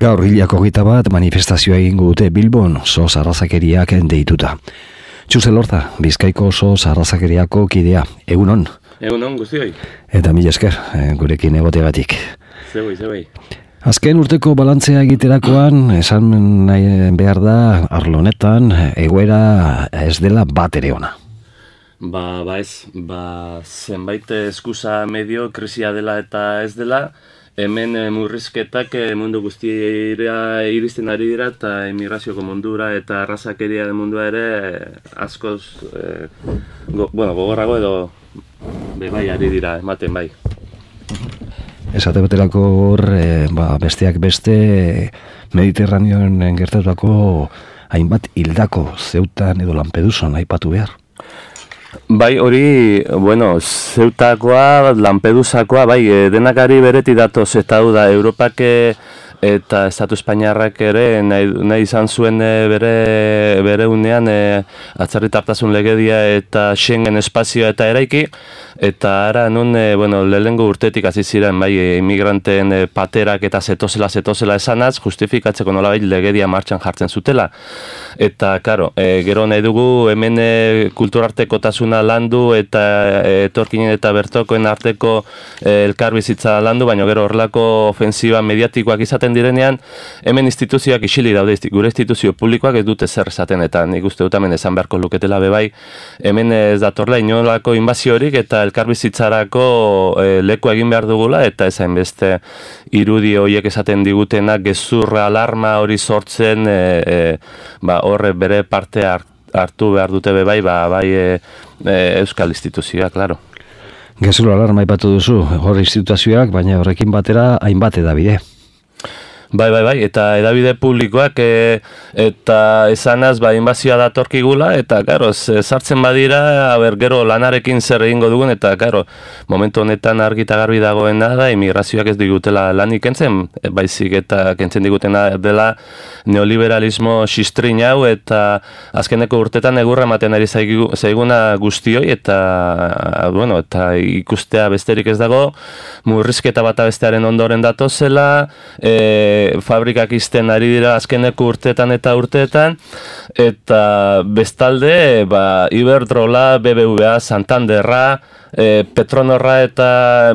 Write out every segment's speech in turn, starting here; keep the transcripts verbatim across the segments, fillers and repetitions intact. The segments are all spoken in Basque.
Gaur hilako hogeita bat manifestazioa egingo dute Bilbon sos arrazakeriak deituta. Txuzel Horta, Bizkaiko sos arrazakeriako kidea. Egunon. Egunon, guztioi. Eta mila esker, gurekin egotegatik. Zeboi, zeboi. Azken urteko balantzea egiterakoan, esan nahi behar da, arlo honetan, egoera ez dela bat ere ona. Ba, ba ez, ba, zenbait eskusa medio krisia dela eta ez dela, hemen murrizketak mundu guztira iristen ari dira eta emigrazioko mundura eta arrazakeria mundua ere askoz, eh, go, bueno, gogorrago edo bebai ari dira, ematen bai. Esate baterako hor, e, ba, besteak beste Mediterraneoen gertatutako hainbat hildako Zeutan edo Lampedusan aipatu behar. Bai, hori, bueno, Zeutakoa, Lampedusakoa, bai, denakari bereti datoz eta hau da, Europak eta Estatu Espainiarrak ere nahi, nahi izan zuen bere, bere unean e, atzerritartasun legedia eta Schengen espazioa eta eraiki, eta ara nun, e, bueno, lehengo urtetik hasi ziren, bai, immigranteen e, paterak eta zetozela, zetozela esanaz, justifikatzeko nolabait legedia martxan jartzen zutela. Eta, karo, e, gero nahi dugu hemen e, kulturartekotasuna landu eta e, etorkinen eta bertokoen arteko e, elkarbizitza landu, baina gero horrelako ofensiba mediatikoak izaten direnean, hemen instituzioak isili daude, gure instituzio publikoak ez dute zer esaten, eta nik uste dut hemen esan beharko luketela bebai, hemen ez datorla inolako inbaziorik eta elkarbizitzarako e, leku egin behar dugula, eta ezain beste irudi horiek esaten digutena gezurra alarma hori sortzen, e, e, ba, horre bere parte hartu behar dute bebai, ba, bai e, e, euskal instituzioak, klaro. Gezurra alarma ipatu duzu, hor instituzioak, baina horrekin batera hainbat edabide. Bai, bai, bai, eta edabide publikoak e, eta esanaz ba, inbazioa datorkigula, eta, karo, sartzen badira, aber, gero lanarekin zer egingo dugun, eta, karo, momentu honetan argi eta garbi dagoena da, imigrazioak ez digutela lanik kentzen, baizik eta kentzen digutena dela neoliberalismo xistrin hau, eta azkeneko urtetan egurra ematen ari zaiguna guztioi, eta, bueno, eta ikustea besterik ez dago, murrizketa bata bestearen ondoren datozela, e, fabrikak izten ari dira azkeneko urteetan eta urteetan, eta bestalde, ba, Iberdrola, B B V A, Santanderra, e, Petronorra eta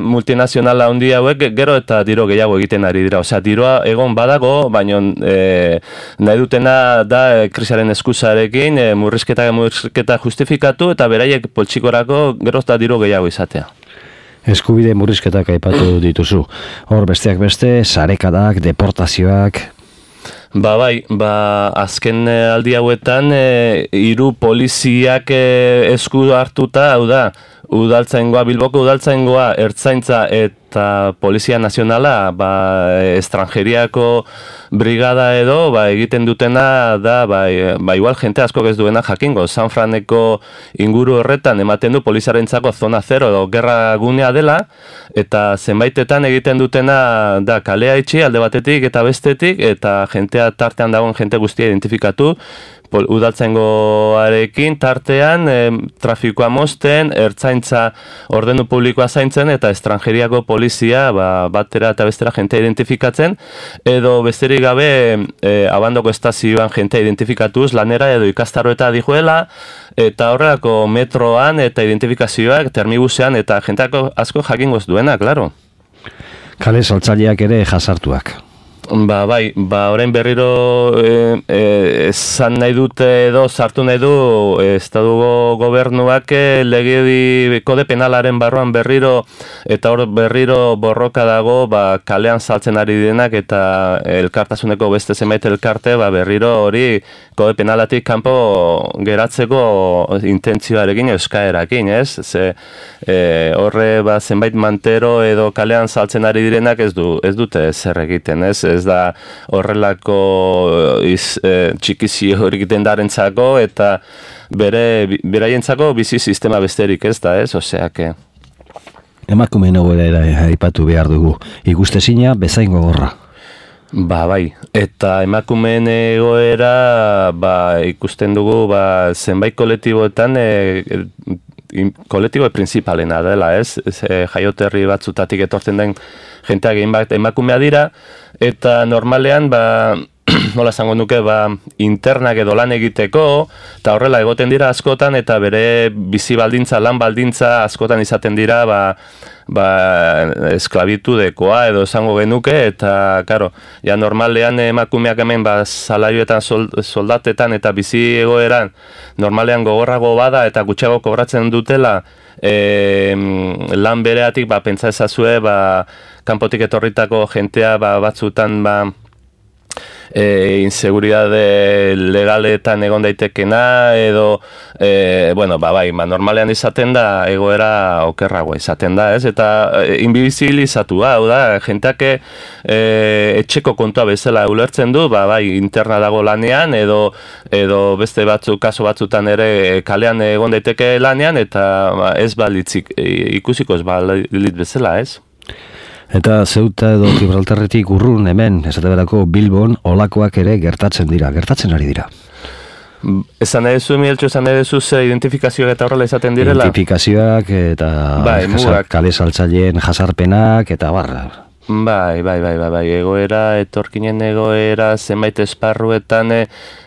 multinazionala handi hauek gero eta diro gehiago egiten ari dira. Osea, diroa egon badago, baina e, nahi dutena da e, krisiaren eskusarekin e, murrizketa murrizketa justifikatu eta beraiek poltsikorako gero eta diro gehiago izatea. Eskubide murrizketak aipatu dituzu. Hor besteak beste, sarekadak, deportazioak. Ba bai, ba azken aldi hauetan e, hiru poliziak e, esku hartuta, hau da, udaltzaingoa, Bilboko udaltzaingoa, ertzaintza eta Polizia Nazionala, ba, estrangeriako brigada edo, ba, egiten dutena da, ba, ba, igual jente asko ez duena jakingo. San Franeko inguru horretan ematen du poliziarentzako zona zero edo gerra gunea dela, eta zenbaitetan egiten dutena da kalea itxi alde batetik eta bestetik, eta jentea tartean dagoen jente guztia identifikatu, udaltzaingoarekin tartean e, trafikoa mozten, ertzaintza ordenu publikoa zaintzen eta estrangeriako polizia ba, batera eta bestera jentea identifikatzen, edo besterik gabe e, abandoko estazioan jentea identifikatuz lanera edo ikastaro eta dijuela, eta horrelako metroan eta identifikazioak termibusean eta jenteako asko jakingoz duena, klaro. Kale saltzaileak ere jasartuak. Ba, bai, ba, orain berriro e, e, esan nahi dute edo sartu nahi du Estatuko gobernuak legedi kode penalaren barruan berriro eta hor berriro borroka dago ba, kalean saltzen ari denak eta elkartasuneko beste zenbait elkarte ba, berriro hori kode penalatik kanpo geratzeko intentzioarekin eskaerakin, ez? Ze e, horre ba, zenbait mantero edo kalean saltzen ari direnak ez du ez dute zer egiten, ez? Ez da horrelako iz, e, txikizi horik dendarentzako eta bere beraientzako bizi sistema besterik ez da, ez? Oseak. Emakumeen egoera aipatu behar dugu. Ikustezina bezain gogorra. Ba, bai. Eta emakumeen egoera ba, ikusten dugu ba, zenbait kolektiboetan e, kolektibo principalena dela, ez? Ez jaioterri batzutatik etortzen den jenteak egin bat emakumea dira, eta normalean, ba, nola esango nuke, ba, internak edo lan egiteko, eta horrela egoten dira askotan, eta bere bizi baldintza, lan baldintza askotan izaten dira, ba, ba, esklabitudekoa edo esango genuke, eta, karo, ja normalean emakumeak hemen, ba, salarioetan, soldatetan eta bizi egoeran, normalean gogorrago bada eta gutxiago kobratzen dutela, e, lan bereatik, ba, pentsa ezazue, ba, kanpotik etorritako jentea, ba, batzutan, ba, E, inseguridade legaletan egon daitekena edo e, bueno, ba, bai, ba, normalean izaten da egoera okerragoa izaten da, ez? Eta e, invisibilizatua, hau da, jenteak e, etxeko kontua bezala ulertzen du, ba, bai, interna dago lanean edo edo beste batzuk, kaso batzutan ere kalean egon daiteke lanean eta ba, ez balitzik ikusiko ez balit bezala, ez? Eta Zeuta edo Gibraltarretik urrun hemen, esate berako Bilbon, olakoak ere gertatzen dira, gertatzen ari dira. Esan edezu, Mieltxo, esan edezu ze identifikazioak eta horrela izaten direla? Identifikazioak eta bai, jasar, kale saltzaileen jasarpenak eta barra. Bai, bai, bai, bai, bai, egoera, etorkinen egoera, zenbait esparruetan e,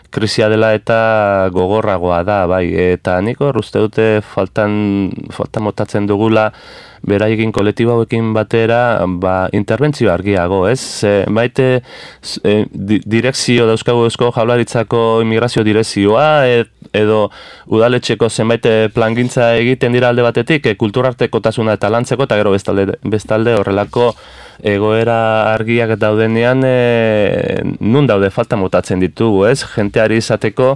krisia dela eta gogorragoa da, bai, eta nik hor uste dute faltan, faltan motatzen dugula beraiekin kolektibo hauekin batera ba, interbentzio argiago, ez? Ze, baite e, di, direkzio dauzkagu Eusko Jaurlaritzako immigrazio direkzioa ed, edo udaletxeko zenbait plangintza egiten dira alde batetik, e, kulturartekotasuna eta lantzeko, eta gero bestalde, bestalde horrelako egoera argiak daudenean e, nun daude falta motatzen ditugu, ez? Jenteari izateko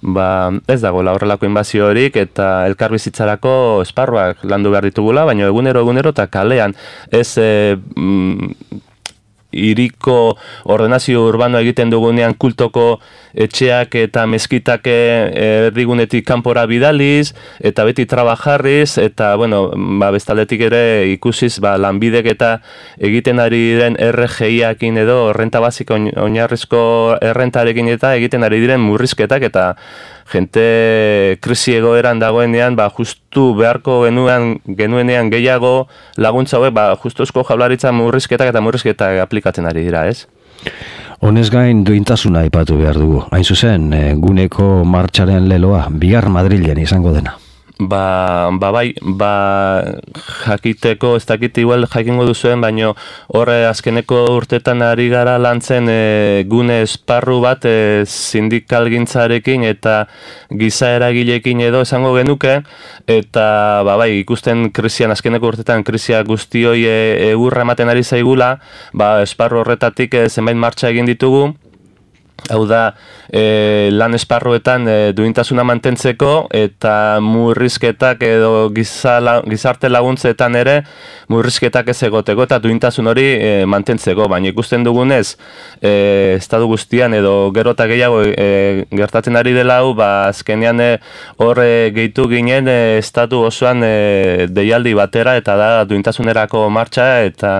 ba, ez dagoela horrelako inbaziorik eta elkarbizitzarako esparruak landu behar ditugula, baina egunero egunero eta kalean ez e, mm, iriko ordenazio urbano egiten dugunean kultoko etxeak eta meskitak erdigunetik kanpora bidaliz eta beti trabajarriz eta bueno, ba, bestaldetik ere ikusiz ba, lanbidek eta egiten ari diren R G I-akin edo renta basiko oinarrizko errentarekin eta egiten ari diren murrizketak eta jente krisi egoeran dagoenean, ba, justu beharko genuean, genuenean gehiago laguntza hauek, ba, justu Eusko Jaurlaritza murrizketak eta murrizketak aplikatzen ari dira, ez? Honez gain duintasuna aipatu behar dugu. Hain zuzen, guneko martxaren leloa, bihar Madrilen izango dena. Ba, ba bai, ba jakiteko, ez dakit igual jakingo duzuen, baino horre azkeneko urtetan ari gara lantzen e, gune esparru bat e, sindikalgintzarekin eta giza eragileekin edo esango genuke, eta ba bai, ikusten krisian, azkeneko urtetan krisia guztioi e, egurra ematen ari zaigula, ba esparru horretatik e, zenbait martxa egin ditugu. Hau da, e, lan esparruetan e, duintasuna mantentzeko eta murrizketak edo giza, gizarte laguntzetan ere murrizketak ez egoteko eta duintasun hori e, mantentzeko. Baina ikusten dugunez, e, estatu guztian edo gero eta gehiago e, gertatzen ari dela hau, ba, azkenean hor e, gehitu ginen e, estatu osoan e, deialdi batera eta da duintasunerako martxa eta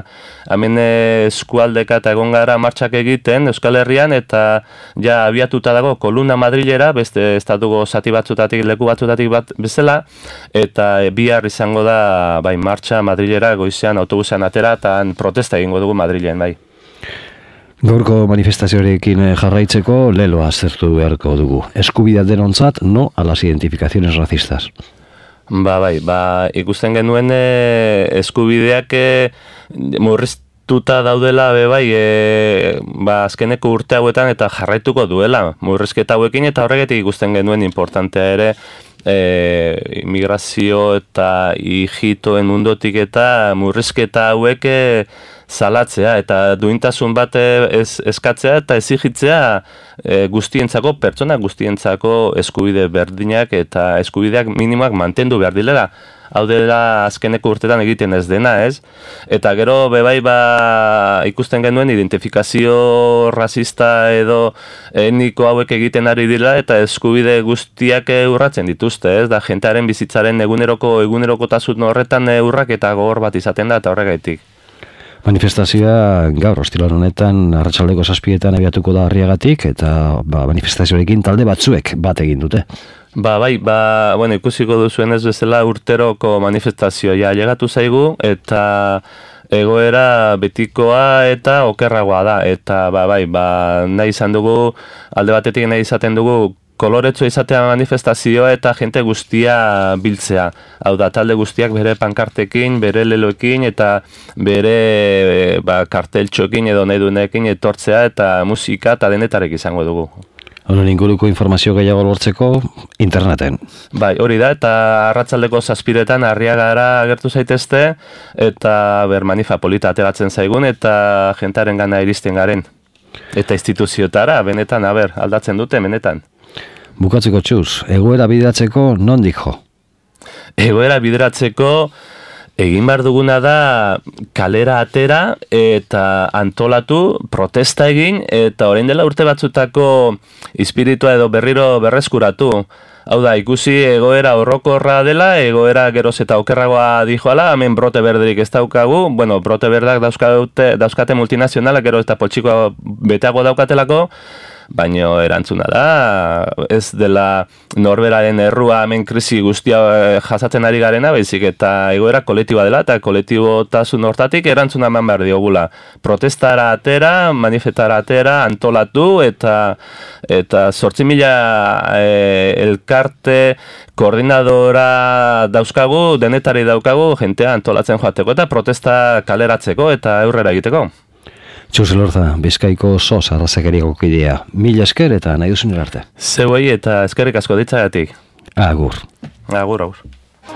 hemen e, eskualdeka eta egon gara martxak egiten Euskal Herrian eta ja abiatuta dago kolumna Madrilera, beste estatuko zati batzutatik, leku batzutatik bat bezala, eta bihar izango da bai martxa Madrilera goizean autobusean atera eta protesta egingo dugu Madrilen, bai. Gaurko manifestazioarekin jarraitzeko leloa aztertu beharko dugu. Eskubidea denontzat, no a las identificaciones racistas. Ba bai, ba ikusten genuen e, eskubideak e, murriztu tuta daudela be bai, e, ba, azkeneko urte hauetan eta jarraituko duela murrizketa hauekin eta horregatik ikusten genuen importantea ere e, immigrazio eta hijitoen mundotik eta murrizketa hauek e, salatzea eta duintasun bat ez, eskatzea eta ezigitzea e, guztientzako, pertsona guztientzako eskubide berdinak eta eskubideak minimoak mantendu behar dilera. Hau dela azkeneko urtetan egiten ez dena, ez? Eta gero bebai ba ikusten genuen identifikazio rasista edo etniko hauek egiten ari dira eta eskubide guztiak urratzen dituzte, ez? Da jentearen bizitzaren eguneroko egunerokotasun horretan urrak eta gogor bat izaten da eta horregaitik. Manifestazioa gaur ostiral honetan arratsaldeko zazpietan abiatuko da Arriagatik eta ba, manifestazioarekin talde batzuek bat egin dute. Ba, bai, ba, bueno, ikusiko duzuen ez bezala urteroko manifestazioa ja llegatu zaigu eta egoera betikoa eta okerragoa da, eta ba, bai, ba, nahi izan dugu, alde batetik nahi izaten dugu, koloretsu izatea manifestazioa eta jente guztia biltzea. Hau da, talde guztiak bere pankartekin, bere leloekin eta bere ba, karteltxoekin edo nahi duenekin etortzea eta musika eta denetarek izango dugu. Honen inguruko informazio gehiago lortzeko interneten. Bai, hori da, eta arratsaldeko zazpiretan Arriagara agertu zaitezte eta ber manifa polita ateratzen zaigun eta jentaren gana iristen garen. Eta instituziotara, benetan, aber, aldatzen dute, benetan. Bukatzeko txuz, egoera bideratzeko nondik jo? Egoera bideratzeko egin behar duguna da kalera atera eta antolatu, protesta egin, eta orain dela urte batzutako espiritua edo berriro berreskuratu. Hau da, ikusi egoera horrokorra dela, egoera geroz eta okerragoa dijoala, hemen brote berderik ez daukagu, bueno, brote berdak dauzkate, dauzkate multinazionalak gero eta poltsikoa beteago daukatelako, baina erantzuna da, ez dela norberaren errua hemen krisi guztia jasatzen ari garena, baizik eta egoera kolektiboa dela, eta kolektibotasun hortatik erantzuna eman behar diogula. Protestara atera, manifestara atera, antolatu, eta eta zortzi mila e, elkarte koordinadora dauzkagu, denetari daukagu, jentea antolatzen joateko, eta protesta kaleratzeko, eta aurrera egiteko. Txus Elorza, Bizkaiko sos arrazakeriako kidea. Mila esker eta nahi duzun arte. Zeuei eta eskerrik asko ditzagatik. Agur. Agur, agur.